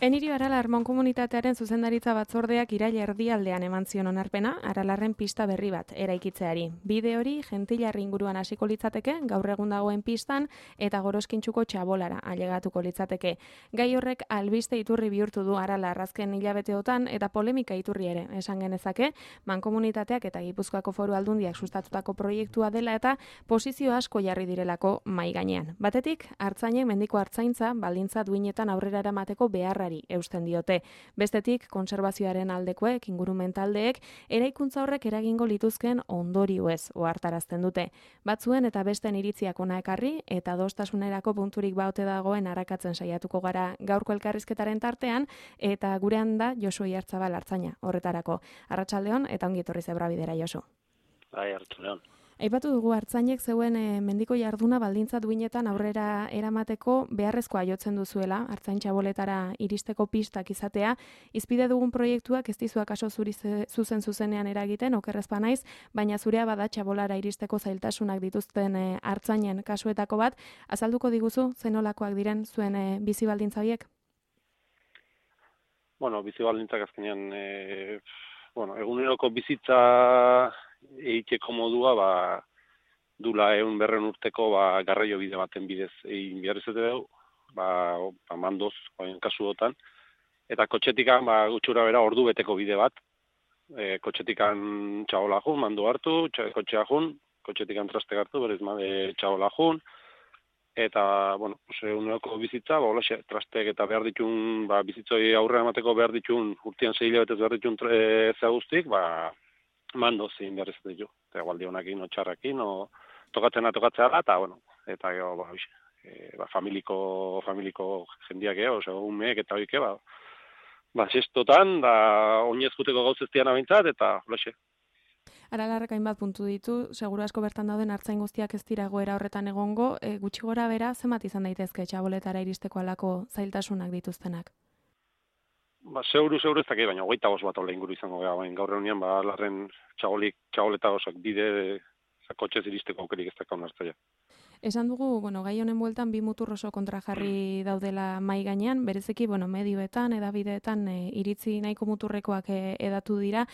Enirio Aralar Mankomunitatearen zuzendaritza batzordeak iraila erdialdean eman zion onarpena Aralarren pista berri bat eraikitzeari. Bide hori Gentilarri inguruan hasiko litzateke, gaur egun dagoen pistan eta Goroskintxuko txabolara ailegatuko litzateke. Gai horrek albiste iturri bihurtu du Aralar azken hilabeteotan eta polemika iturri ere esan genezake, Mankomunitateak eta Gipuzkoako Foru Aldundiak sustatutako proiektua dela eta posizio asko jarri direlako mahai gainean. Batetik, artzainek mendiko artzaintza baldintza duinetan aurrera eramateko beharra eusten diote. Bestetik, kontserbazioaren aldekoek, ingurumen taldeek, eraikuntza horrek eragingo lituzken ondorioez ohartarazten dute. Batzuen eta besten iritziak ona ekarri eta adostasunerako punturik baote dagoen arakatzen saiatuko gara gaurko elkarrizketaren tartean eta gurean da Josu Oiartzabal artzaina horretarako. Arratsaldeon eta ongi etorri Zebrabidera, Josu. Bai, arratsaldeon. Aipatu dugu artzainek zeuen mendiko jarduna baldintza duinetan aurrera eramateko beharrezkoa jotzen duzuela, artzain txaboletara iristeko pistak izatea. Izpide dugun proiektuak ez dizu akaso zuri zuzenean eragiten, okerrezpa naiz, baina zurea bada txabolara iristeko zailtasunak dituzten artzainen kasuetako bat. Azalduko diguzu zenolakoak diren zuen bizi baldintza horiek? Bizi baldintzak azkenean, eguneroko bizitza egiteko modua, dula 100 urteko garraio bide baten bidez egin behar izate dugu, mandoz, kasuotan. Eta kotxetikan, gutxura bera, ordu beteko bide bat. Kotxetikan txabola jun, mando hartu, kotxea jun, kotxetikan traste hartu, berez txabola jun. Eta, eguneroko bizitza, trasteek eta behar ditun, bizitzoi aurre emateko behar ditun, urtean 6 hilabetez behar ditun guztik, mando zein behar izate ditu. Eta gualdi honakin, txarrakin, tokatzea eta gero, familiko jendiak umeek eta hoike, sestotan, oinez juteko gauz ez dian abintzat, eta hoxe. Aralarrek hainbat puntu ditu, seguru asko bertan dauden artzain guztiak ez dira goera horretan egongo, gutxi gora bera, zenbat izan daitezke txaboletara iristeko alako zailtasunak dituztenak? Seguru ez dakit, baina 25 bat ole inguru izango gara, gaur egunean, larren txaboleta osak bide, kotxez iristeko aukerik ez dakon hartzaia. Esan dugu, gai honen bueltan bi mutur oso kontrajarri daudela mahai gainean, bereziki, medioetan, edabideetan iritzi nahiko muturrekoak edatu dira,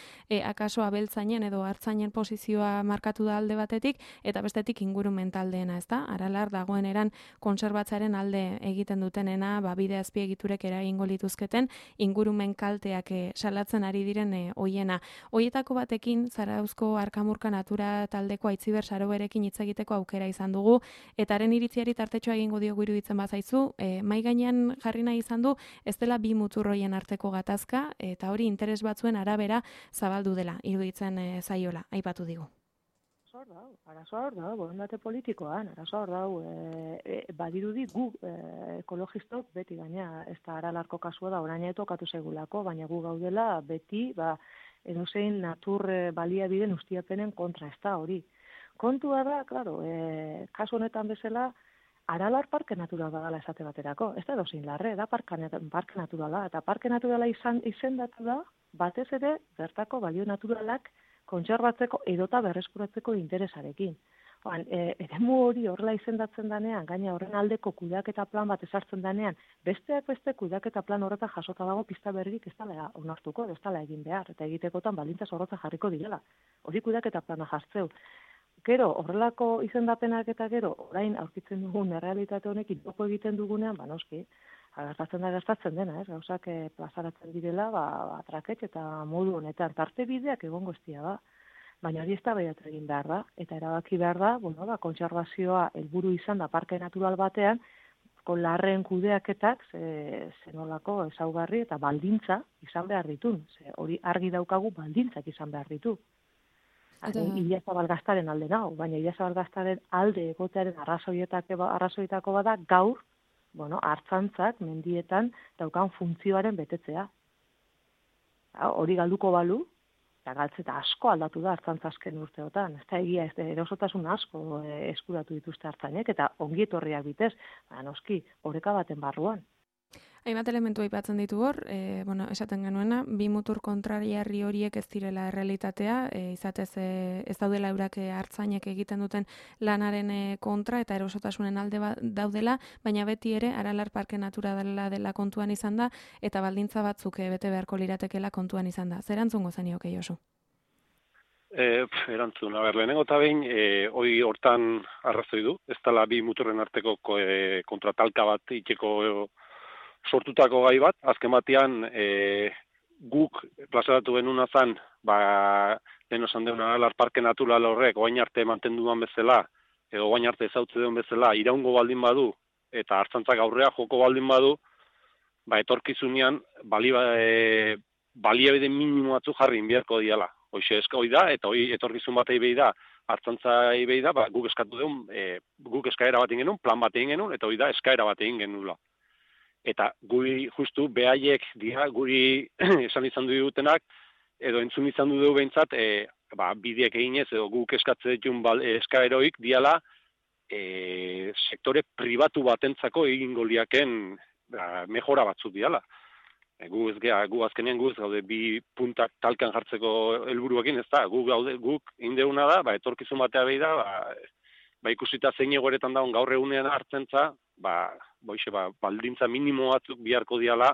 akaso abeltzainen edo hartzainen posizioa markatu da alde batetik, eta bestetik ingurumen taldeena, ez da? Aralar dagoen eran konserbatzaren alde egiten dutenena, bide azpiegiturek eragingo lituzketen, ingurumen kalteak salatzen ari diren hoiena. Hoietako batekin, Zarauzko Arkamurka Natura taldeko Aitziber Saroberekin hitz egiteko aukera izan dugu, eta haren iritziari tartetxoa egingo diogu iruditzen bazaizu, mahai gainean jarri nahi izan du, ez dela bi muturroien arteko gatazka, eta hori interes batzuen arabera zabaldu dela, iruditzen zaiola, aipatu digu. Arazoa hor da, borondate politikoan, arazoa hor da, badirudi gu ekologistok beti gaina, ez da Aralarko kasua da, orain tokatu segulako, baina gu gaudela beti, edozein natur baliabideen ustiapenen kontra, ez da hori. Kontua da, kasu honetan bezala, Aralar parke naturala dela esate baterako. Ez da edozein larre, da parke naturala. Eta parke naturala izendatu da, batez ere, bertako balio naturalak kontserbatzeko edota berreskuratzeko interesarekin. Eremu hori horrela izendatzen danean, gaina horren aldeko kudeaketa plan bat ezartzen danean, besteak beste kudeaketa plan horretan jasota dago pista berrik ez dela onartuko, ez dela egin behar, eta egitekotan baldintza zorrotza jarriko direla. Hori kudeaketa plana jartzeu. Gero, horrelako izendapenak eta gero, orain aurkitzen dugun errealitate honekin topo egiten dugunean, noski, gertatzen dena, gauzak plazaratzen direla, traketx eta modu honetan, tarte bideak egongo ez dira da. Baina hori eztabaidatu egin behar da, eta erabaki behar da, kontserbazioa helburu izan da parke natural batean, larren kudeaketak zenolako ezaugarri eta baldintza izan behar ditun. Hori argi daukagu baldintzak izan behar ditu. Ilazabal gaztaren alde nago, baina Ilazabal gaztaren alde egotearen arrazoietako bada gaur, hartzantzak mendietan daukan funtzioaren betetzea. Hori galduko balu, eta galtzeta asko aldatu da hartzantza azken urteotan. Ez da egia, erosotasun asko eskuratu dituzte hartzainek, eta ongi etorriak bitez, noski, oreka baten barruan. Hainbat elementu aipatzen ditu hor, esaten genuena, bi mutur kontrariarri horiek ez direla errealitatea, izatez ez daudela eurak hartzainek egiten duten lanaren kontra eta erosotasunen alde daudela, baina beti ere Aralar Parke Naturala dela kontuan izan da, eta baldintza batzuk bete beharko liratekela kontuan izan da. Zer antzungo zenioke, Josu? Erantzun, lehenengo eta behin, hoi hortan arrazoi du, ez dela bi muturren arteko kontratalka bat itxeko sortutako gai bat, azken batean guk plazaratu genuna zen, lehen osan deuna Aralar Parke Natural horrek, oain arte mantenduan bezala, edo oain arte ezautze duen bezala, iraungo baldin badu, eta hartzantzak aurrea joko baldin badu, etorkizunean baliabide minimo batzu jarri inbiarko diala. Hoxe hoi da, eta hoi etorkizun batei behi da, hartzantzai behi da, guk eskatu duen, guk eskaera bat egin genuen, plan bat egin genuen, eta hoi da eskaera bat egin genuela. Eta guri justu behaiek dira, guri esan izan dutenak, edo entzun izan du behintzat, bideak eginez, edo guk eskatze ditun eskaeroik diala, sektore pribatu batentzako egingo liaken mejora batzuk diala. Gu azkenean guz gaude bi puntak talkan jartzeko helburuekin, ez da, guk indeuna da, etorkizun batea behi da, ikusita zein egoeretan daun gaur egunean hartzentza, baldintza minimo batzuk biharko diala,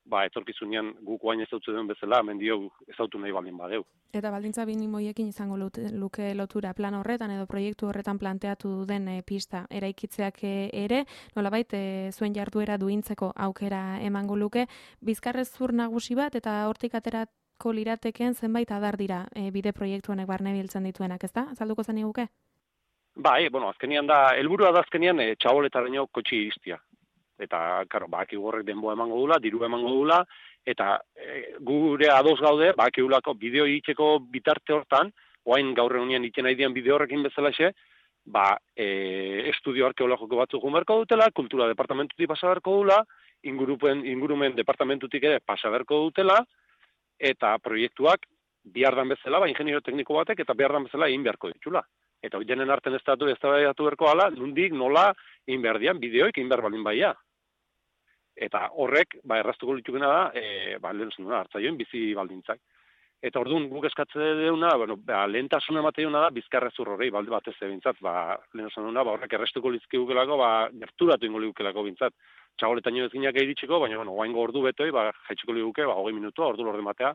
etorkizunean guk guain ezautze duen bezala, mendio ezautu nahi baldin badeu. Eta baldintza minimoiekin izango luke lotura plan horretan edo proiektu horretan planteatu den pista eraikitzeak ere, nolabait zuen jarduera duintzeko aukera emango luke, bizkarrezur nagusi bat eta hortik aterako lirateken zenbait adar dira bide proiektu honek barne biltzen dituenak, ezta? Azalduko zen iguke? Azkenian da, helburua da azkenian txaboletaraino kotxi iristia. Eta, karo, horrek denboa emango dula, diru emango dula, eta gure ados gaude, bakigulako bideo egiteko bitarte hortan, oain gaur egunean iten nahi dian bideo horrekin bezalaxe, estudio arkeologiko batzuk berko dutela, kultura departamentutik pasa berko dula, ingurumen departamentutik ere pasa berko dutela, eta proiektuak bihardan bezala, ingeniero tekniko batek, eta bihardan bezala egin beharko ditula. Eta hori denen arten ez da berko ala, nundik nola egin behar dian, bideoik egin behar balin baia. Eta horrek, erraztuko litukena da, lehen zenuna, hartzaioen bizi baldintzak. Eta orduan guk eskatze deuna, lehentasuna emateuna da, bizkarrezur horrei, balde batez ebintzat, lehen zenuna, horrek errestuko lizkigukelako, gerturatu ingo ligukelako bintzat. Txagoletaino ezginak egiritxiko, baina, oaingo ordu betoi, jaitsiko liguke, 20 minutua, ordu lorde matea.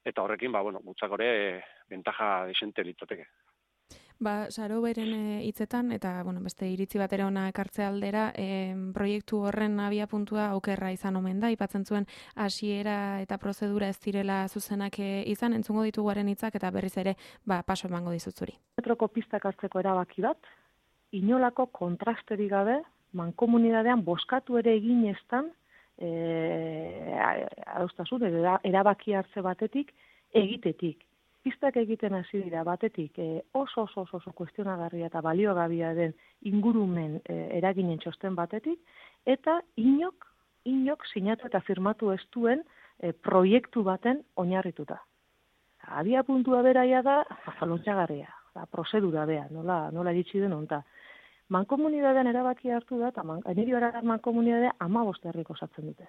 Eta horrekin, gutzakore, bentaja desente litzateke. Saro beren hitzetan, eta beste iritzi batera ona ekartze aldera, proiektu horren abiapuntua okerra izan omen da, aipatzen zuen hasiera eta prozedura ez direla zuzenak izan, entzungo dituguaren hitzak eta berriz ere paso emango dizut zuri. Metroko pistak hartzeko erabaki bat, inolako kontrasterik gabe, mankomunidadean boskatu ere egin eztan, adostasun, erabaki hartze batetik, egitetik. Pistak egiten hasi dira batetik oso kuestionagarria eta baliogabea den ingurumen eraginen txosten batetik, eta inok sinatu eta firmatu ez duen proiektu baten oinarrituta. Abia puntua beraia da, lontxagarria, prozedura bea, nola ditzi den onta. Mankomunidadean erabaki hartu da, eta Enirio Aralar mankomunidadea 15 herrik osatzen dute.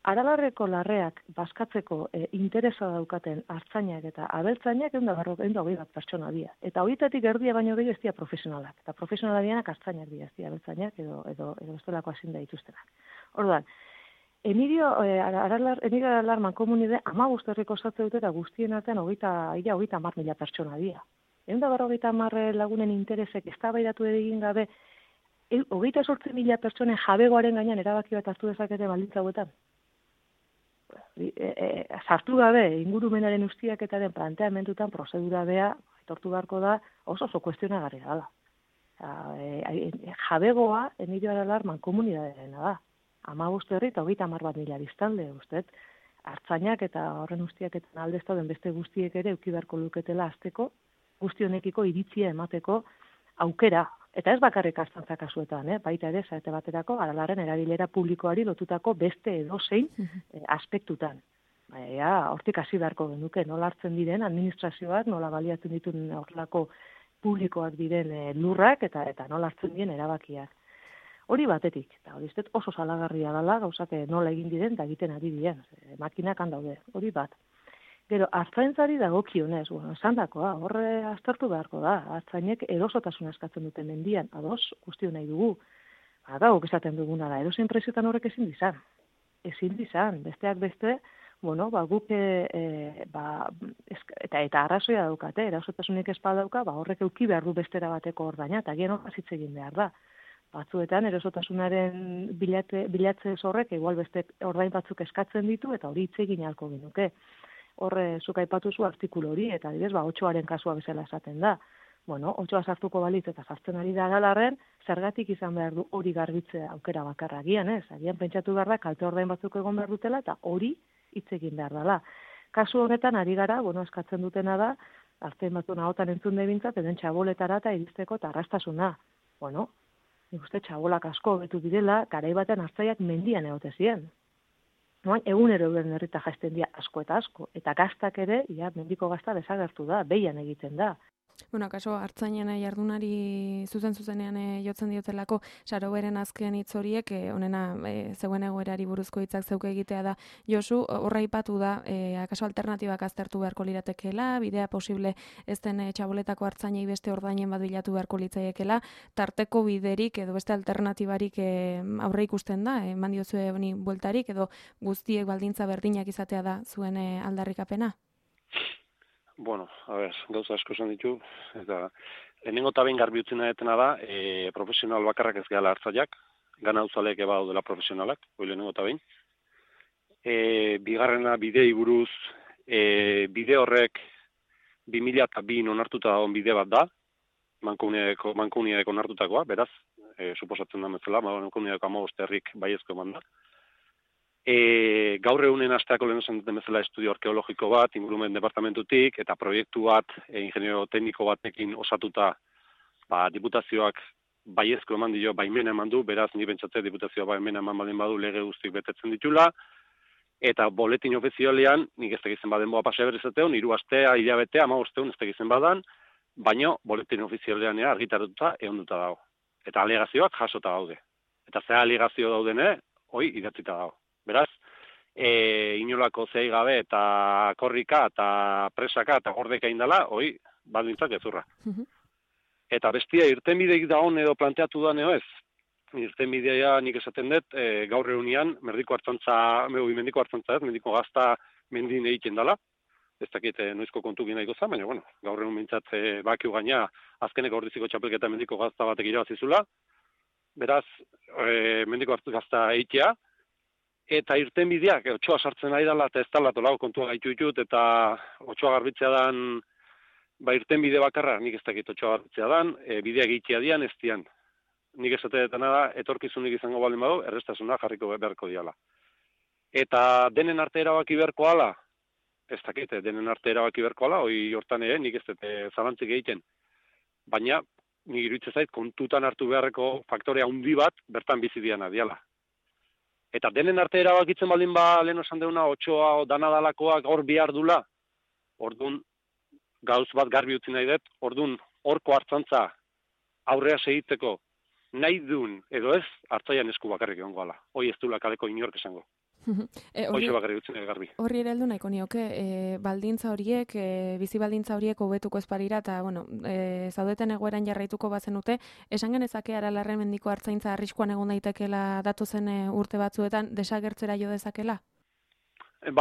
Aralarreko larreak bazkatzeko interesa daukaten hartzainak eta abeltzainak 120 bat pertsona dira. Eta horietatik erdia baino gehiago ez dira profesionalak. Eta profesionalak dianak hartzainak dira, ez dira abeltzainak edo bestelako ezin da dituztenak. Orduan, Enirio Aralar mankomunidade 15 herrik osatzen dute eta guztien artean 30.000 pertsona dira. 150 lagunen interesek eztabaidatu egin gabe 28.000 pertsonen jabegoaren gainean erabaki bat hartu dezakete baldintza hauetan. Sartu gabe ingurumenaren ustiaketaren planteamendutan prozedura bea etortu beharko da oso kuestionagarria dela. Jabegoa Enirio Aralar mankomunidadeena da. 15 herri eta 30.000 biztanle, ustez, hartzainak eta horren ustiaketan alde ez dauden beste guztiek ere eduki beharko luketela hasteko, guzti honekiko iritzia emateko aukera. Eta ez bakarrik hartzantza kasuetan, baita ere, zaite baterako, Aralarren erabilera publikoari lotutako beste edozein aspektutan. Hortik hasi beharko genuke, nola hartzen diren administrazioak, nola baliatzen dituen horrelako publikoak diren lurrak eta nola hartzen diren erabakiak. Hori batetik, eta hori oso salagarria dela, gauzak nola egin diren eta egiten ari diren, makinak handaude, hori bat. Gero, artzaintzari dagokionez, esandakoa, horre aztertu beharko da, artzainek erosotasuna eskatzen dute mendian, ados, guztio nahi dugu. Guk esaten duguna da, edozein prezioetan horrek ezin dizan, besteak beste, guk, eta arrazoia daukate, erosotasunik ezpa dauka, horrek euki behar du bestera bateko ordaina, eta gian horra zitze egin behar da. Batzuetan, erosotasunaren bilatze horrek, igual beste ordain batzuk eskatzen ditu, eta hori hitz egin ahalko genuke. Horre, zuk aipatu zu artikulu hori, eta adibidez, 8aren kasua bezala esaten da. 8a sartuko balitz eta sartzen ari da galarren, zergatik izan behar du hori garbitzea aukera bakarra agian, ez? Agian pentsatu behar da, kalte ordain batzuk egon behar dutela, eta hori hitz egin behar dela. Kasu honetan, ari gara, eskatzen dutena da, artean batzu nahotan entzun debintzat, eden txaboletara eta iristeko eta arrastasuna. Nik uste txabolak asko betu direla, garai batean hartzaiak mendian egote ziren. Egunero euren herrita jaisten dira asko eta asko, eta gaztak ere, mendiko gazta desagertu da, behian egiten da. Kaso, hartzainen jardunari zuzenean jotzen diotelako, Saroberen azken hitz horiek, honena, zeuen egoerari buruzko hitzak zeuke egitea da, Josu, horra ipatu da, akaso alternatibak aztertu beharko liratekeela, bidea posible ez den txaboletako hartzainei beste ordainen bat bilatu beharko litzaiekela, tarteko biderik edo beste alternatibarik aurre ikusten da, eman diozue honi bueltarik, edo guztiek baldintza berdinak izatea da zuen aldarrikapena? Gauza asko esan ditu, eta lehenengo eta behin garbi utzina detena da, profesional bakarrak ez gehala hartzaiak, gana uzaleek eba dela profesionalak, hori lehenengo eta behin. Bigarrena bidei buruz, bide horrek 2002 onartuta dagoen bide bat da, mankomuniadeko onartutakoa, beraz, suposatzen da metzela, mankomuniadeko 15 herrik baiezko eman da. Gaur egunen asteako lehen esan duten bezala estudio arkeologiko bat, ingurumen departamentutik, eta proiektu bat, ingeniero tekniko batekin osatuta, diputazioak baiezko eman dio, baimena eman du, beraz, ni bentsatze diputazioa baimena eman baldin badu lege guztik betetzen ditula, eta boletin ofizialean, nik ez tegizen baden boa pasea berezateon, 3 astea, hilabetea, 15 ez tegizen badan, baino boletin ofizialean argitaratuta ehunduta dago. Eta alegazioak jasota daude. Eta ze alegazio daudene, hoi idatzita dago. Beraz, inolako zei gabe eta korrika eta presaka eta gordeka indala, hoi, baldintzak ezurra. Eta bestia, irtenbideik dagoen edo planteatu da neo ez. Irtenbidea nik esaten dut, gaur egunean, mendiko hartzantza ez, mendiko gazta mendin egiten dela. Ez dakit noizko kontu gina iko zan, baina, gaur egun mintzat bakiu gaina, azkeneko ordiziko txapelketa mendiko gazta batek irabazizula. Beraz, mendiko gazta eitea, eta irtenbideak, otsoa sartzen ari dela, eta ez dela tolago kontua gaitu ditut, eta otsoa garbitzea dan, irtenbide bakarra, nik ez dakit otsoa garbitzea dan, bideak egitea dian, ez dian. Nik esateetana da, etorkizunik izango baldin badu, errestasuna jarriko beharko diala. Eta denen arte erabaki beharko ala, ez dakit, denen arte erabaki beharko ala, hoi hortan nik ez dut zalantzik egiten. Baina, nik iruditzen zait, kontutan hartu beharreko faktore handi bat, bertan bizi diana diala. Eta denen arte erabakitzen baldin lehen esan deuna, otsoa danadalakoak hor bihar dula, orduan gauz bat garbi utzi nahi dut, orduan horko hartzantza aurrea segitzeko nahi duen, edo ez, hartzaian esku bakarrik egongo ala. Hoi ez duela kaleko inork esango. Hoxe bakarrik utzi nahi garbi. Horri ere heldu nahiko nioke, baldintza horiek, bizi baldintza horiek hobetuko ez barira, eta, zaudeten egoeran jarraituko bazenute, esan genezake Aralarren mendiko hartzaintza arriskuan egon daitekela datozen urte batzuetan, desagertzera jo dezakela?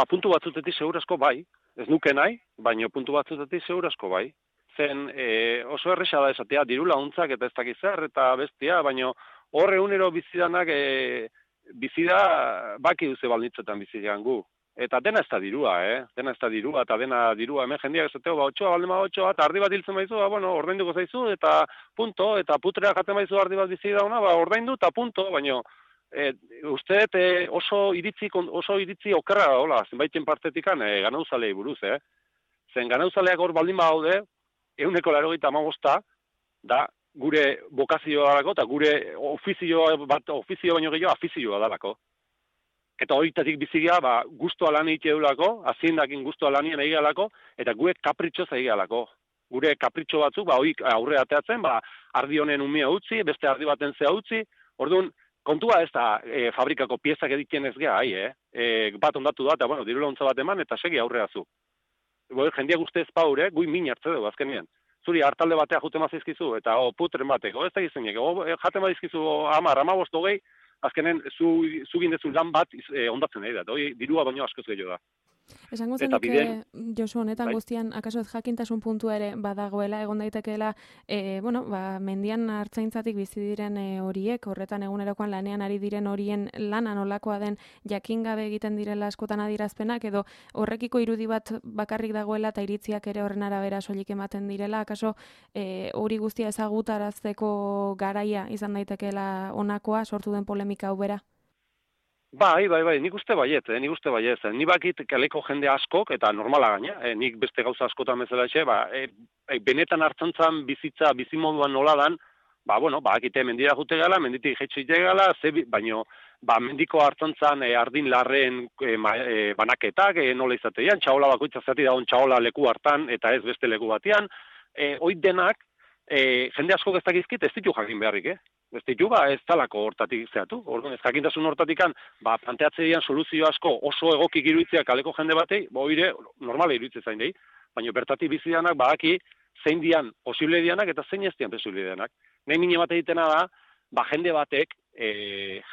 Puntu batzutetik segurazko bai, ez nuke nahi, baina puntu batzutetik segurazko bai. Zen oso erresa da esatea, diru laguntzak eta ez dakiz zer, eta bestia, baina hor egunero bizidanak bizida baki duze baldintzetan bizidean gu. Eta dena ez da dirua, dena ez da dirua, eta dena dirua, hemen jendeak esateo, otsoa, baldema otsoa, eta ardi bat hiltzen baizu, ordainduko zaizu, eta punto, eta putrea jaten baizu ardi bat bizi dauna, ordaindu, eta punto, baina uste oso iritzi okerra da, hola, zenbaiten partetikan ganauzalei buruz, Zen ganauzaleak hor baldin badaude, 185 da gure bokazioa dalako, eta gure ofizio baino gehiago afizioa dalako. Eta horitatik bizigia, guztua lan egitea dulako, aziendakin guztua lanien egialako, eta gure kapritxoz egialako. Gure kapritxo batzuk, hori aurre ateatzen, ardi honen umea utzi, beste ardi baten zea utzi, Orduan, kontua ez da fabrikako piezak egiten ez geha, bat ondatu da, eta bueno, diru laguntza bat eman, eta segi aurrea zu. Jendia guzti ez paure, gui min hartze dugu azkenean. Zuri hartalde batea jute mazizkizu, eta putren bateko, ez da gizenek, jate mazizkizu 10, 15, 20, azkenen zu gindezu lan bat ondatzen nahi da, dirua baino askoz gehiago da. Esango zenik, Josu, honetan guztian, akaso ez jakintasun puntua ere badagoela, egon daitekeela, mendian hartzaintzatik bizi diren horiek, horretan egunerokoan lanean ari diren horien lana nolakoa den jakin gabe egiten direla askotan adierazpenak, edo horrekiko irudi bat bakarrik dagoela eta iritziak ere horren arabera soilik ematen direla, akaso hori guztia ezagutarazteko garaia izan daitekeela honakoa, sortu den polemika hau bera? Bai, nik uste baiet. Ni bakit kaleko jende askok, eta normala gaina, nik beste gauza askotan bezala benetan hartzantzan bizitza, bizimoduan nola dan, akite mendira jute gala, menditik jetxite gala, baino, mendiko hartzantzan ardin larren banaketak, nola izatean, txaola bakoitza zati dagoen txaola leku hartan, eta ez beste leku batean, oit denak, jende askok ez dakizkit, ez ditu jakin beharrik, Ez ditu, ez talako hortatik zehatu. Orduan, ez jakintasun hortatikan, planteatzeian soluzio asko oso egokik iruditzea kaleko jende batei, normala iruditzea zain dei, baina bertatik bizidanak, badaki, zein dian posible dianak eta zein ez dian posible dianak. Nahi mine bat egitena da, jende batek,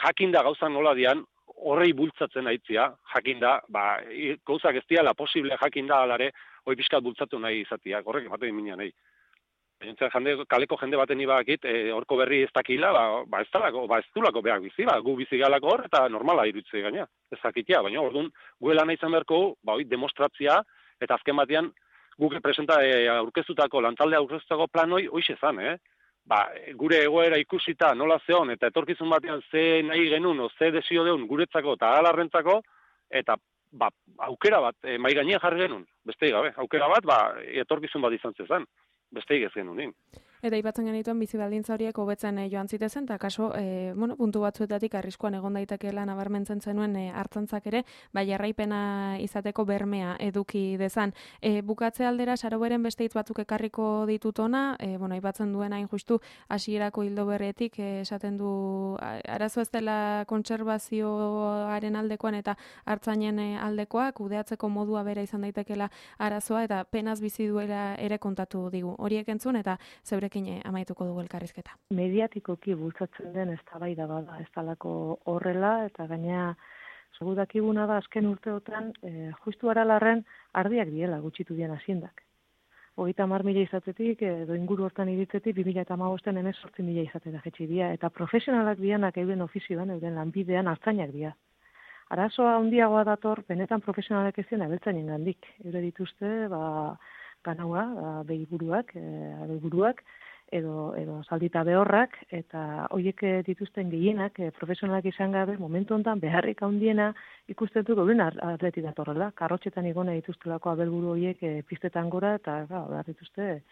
jakinda gauzan nola dian, horrei bultzatzen aitzia, jakinda, gauzak ez diala posible jakinda alare, hoi pixkat bultzatu nahi izatia, horrek ematen minean nahi. Kaleko jende baten ibakit, horko berri ez dakila, ez dulako behar bizi, gu bizi galako hor, eta normala iruditze gaina, ez dakitia, baina orduan, guela nahi izan beharko, demostratzia, eta azken batean, guk presenta aurkeztutako, lantalde aurkeztutako plan hoize zan, gure egoera ikusita nola zeon, eta etorkizun batean ze nahi genuen, ze desio deun guretzako eta alarrentzako, eta aukera bat, mai gainean jarri genuen, besteik gabe, aukera bat, etorkizun bat izan zezan. Besteik ez genuen. Eta aipatzen genituen bizi baldintza horiek hobetzen joan zitezen, eta kaso, puntu batzuetatik arriskuan egon daitekeela nabarmentzen zenuen hartzantzak ere, jarraipena izateko bermea eduki dezan. Bukatze aldera, Saroberen beste hitz batzuk ekarriko ditut ona, aipatzen duen hain justu hasierako hildo berretik, esaten du arazo ez dela kontserbazioaren aldekoan eta hartzainen aldekoa, kudeatzeko modua bera izan daitekeela arazoa, eta penaz bizi duela ere kontatu digu. Horiek entzun, eta zeure amaituko dugu elkarrizketa. Mediatikoki bultzatzen den eztabaida bada, ez talako horrela, eta gaina segur dakiguna da azken urteotan justu Aralarren ardiak diela gutxitu dian haziendak. 30.000 izatetik, edo inguru hortan iritzetik, 2015 18.000 izatera jetxi dira, eta profesionalak dianak euren ofizioan, euren lanbidean hartzainak dira. Arazoa handiagoa dator, benetan profesionalak ez dien abeltzainen gandik. Eure dituzte, ganaua, behiburuak, edo zaldita behorrak, eta horiek dituzten gehienak, profesionalak izan gabe, momentu honetan beharrik handiena ikusten dut gauren atleti datorrela. Karrotxetan igona dituztelako abelburu horiek piztetan gora, eta behar dituzte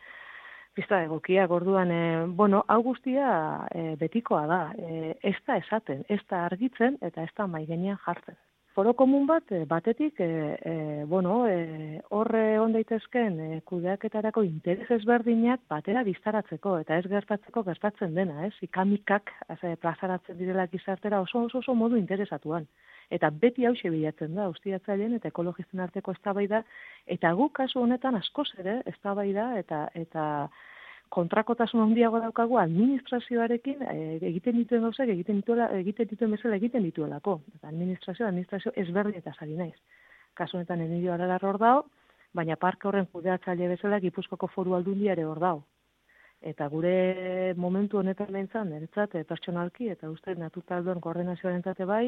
pista egokiak. Orduan, hau guztia betikoa da. Ez da esaten, ez da argitzen, eta ez da maigenean jartzen. Foro komun batetik, horre egon daitezken kudeaketarako interes ezberdinak batera biztaratzeko, eta ez gertatzen dena, ikamikak plazaratzen direla gizartera oso modu interesatuan. Eta beti hauxe bilatzen da, ustiatzaileen eta ekologisten arteko eztabaida, eta guk kasu honetan askoz ere eztabaida eta kontrakotasun handiago daukagu administrazioarekin egiten dituen gauzak egiten dituen bezala egiten dituelako. Eta administrazio ezberdin eta sari naiz. Kasu honetan Emilio Aralar hor dago, baina parke horren kudeatzaile bezala Gipuzkoako Foru Aldundia ere hor dago. Eta gure momentu honetan behintzat, niretzat pertsonalki eta uste naturtaldoen koordinazioarentzat bai,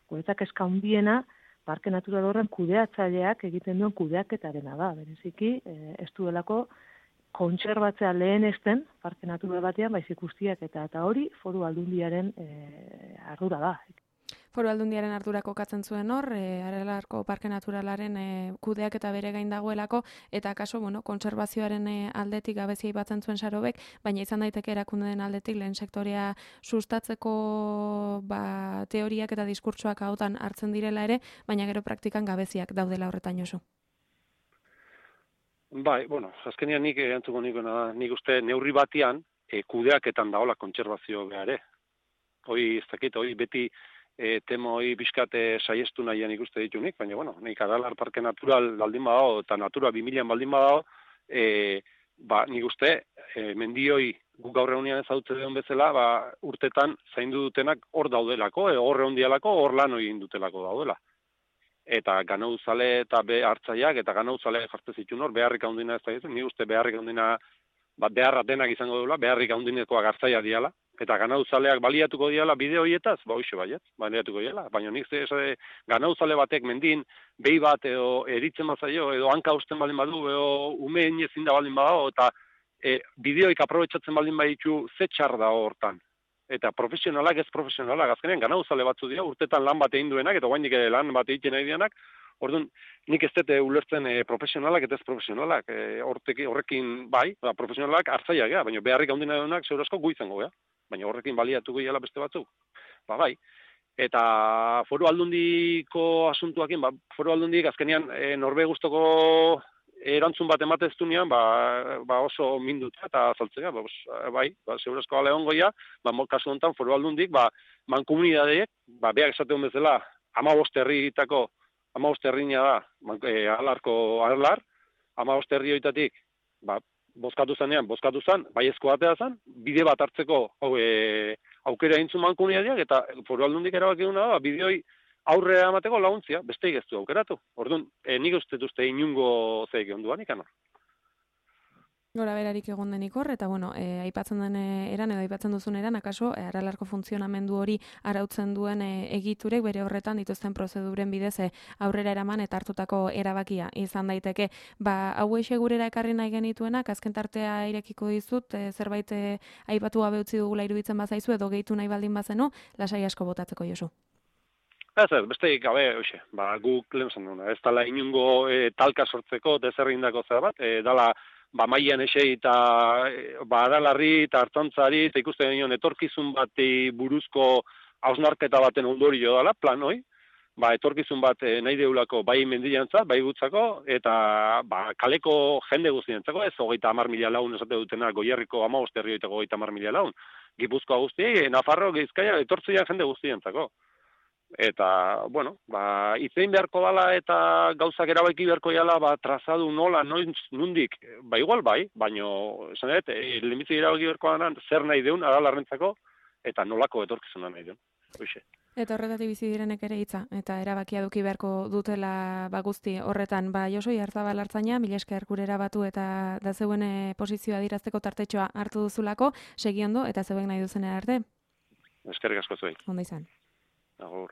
guretzak eska handiena parke natural horren kudeatzaileak egiten duen kudeaketarena da. Bereziki ez duelako kontserbatzea lehen esten, parke natural batean, baizik guztiak eta hori Foru Aldundiaren ardura da. Foru Aldundiaren ardura kokatzen zuen hor, Aralarko Parke Naturalaren kudeak eta bere gain dagoelako, eta kaso, kontserbazioaren aldetik gabezia ibatzen zuen Sarobek, baina izan daiteke erakundeen aldetik lehen sektorea sustatzeko teoriak eta diskurtsoak hautan hartzen direla ere, baina gero praktikan gabeziak daudela horretan Josu. Bai, azkenean nik erantzuko nik uste neurri batean kudeaketan daola kontserbazio behare. hoi ez dakit, hoi beti temo hoi bizkate saiestu nahian ikuste ditunik, baina, bueno, nik Aralar Parke Natural baldin badao, eta Natura 2000 baldin badao, nik uste, mendioi guk gaur egunean ezagutzen duen bezala, urtetan zaindu dutenak hor daudelako, hor egondialako, hor lan egin dutelako daudela. Eta ganauzale eta hartzaileak eta ganauzaleak jartzen zituen hor, beharrik handina ez da ditu, nik uste beharrik handina, beharra denak izango duela, beharrik handinekoak hartzaia diala, eta ganauzaleak baliatuko diala bide horietaz, hoxe baiet, baliatuko diala, baina nik ganauzale batek mendin, behi bat edo eritzen bazaio, edo hanka usten baldin badu, edo umeen ezin da baldin badago, eta bideoik aprobetsatzen baldin baditu ze txar da hortan. Eta profesionalak ez profesionalak, azkenean ganauzale batzu dira, urtetan lan bat egin duenak, eta guainik lan bat egiten nahi dianak, orduan, nik ez dute ulertzen profesionalak eta ez profesionalak, horrekin bai, profesionalak hartzaileak gea, baina beharrik handina duenak zeur asko guizango gea, baina horrekin baliatuko gehiala beste batzuk. Bai. Eta foru aldundiko asuntuakin, foru aldundik azkenean norbe guztoko erantzun bat ematez dunean, oso minduta eta azaltzea, bai, zeur asko gale ongoia, kasu honetan foru aldundik, mankomunidadeek, beak esateun bezala, 15 herritako 15 herrina da, alarko alar, 15 herri horietatik, bozkatu zanean, baiezko batea zan, bide bat hartzeko aukera egin zuen mankomunidadeak, eta foru aldundik erabaki duna da, bide hori aurrera emateko laguntzia, besteik ez du aukeratu. Orduan, nik uste inungo zeik onduan ikan. Gora berarik egon denik hor, eta bueno, aipatzen den eran, edo aipatzen duzun eran, akaso, Aralarko funtzionamendu hori arautzen duen egiturek bere horretan dituzten prozeduren bidez aurrera eraman eta hartutako erabakia izan daiteke. Hau gurera ekarri nahi genituenak, azken tartea irekiko dizut, zerbait aipatu gabe utzi dugula iruditzen bazaizu, edo gehitu nahi baldin bazenu, lasai asko botatzeko, Josu. Ez, besteik gabe, hoxe, guk lehen zan duna, ez dala inungo talka sortzeko, dezerrindako zer bat, dala mailan esei eta Aralarri eta Artzantzari, eta ikusten genion etorkizun bati buruzko hausnarketa baten ondorio dela, plan hoi, etorkizun bat nahi deulako bai mendiantzat, bai gutzako, eta kaleko jende guztientzako, ez 30.000 lagun esate dutena, Goierriko 15 herrioetako 30.000 lagun, Gipuzkoa guztiei, Nafarro, Bizkaia, etortzean jende guztientzako. Eta, bueno, itzein beharko dala eta gauzak erabaki beharko dala, trazadu nola, nundik, igual bai, baino, esan dut, lehenbitzik erabaki beharko dala, zer nahi deun, Aralarrentzako, eta nolako etorkizuna nahi deun. Hoxe. Eta horretatik bizi direnek ere hitza, eta erabakia eduki beharko dutela guzti horretan. Josoi Arzabal Artzaina, mila esker gurera batu eta da zeuen posizioa dirazteko tartetxoa hartu duzulako, segi ondo, eta zeuen nahi duzen arte. Eskerrik asko zuei. Ondo izan. Agur.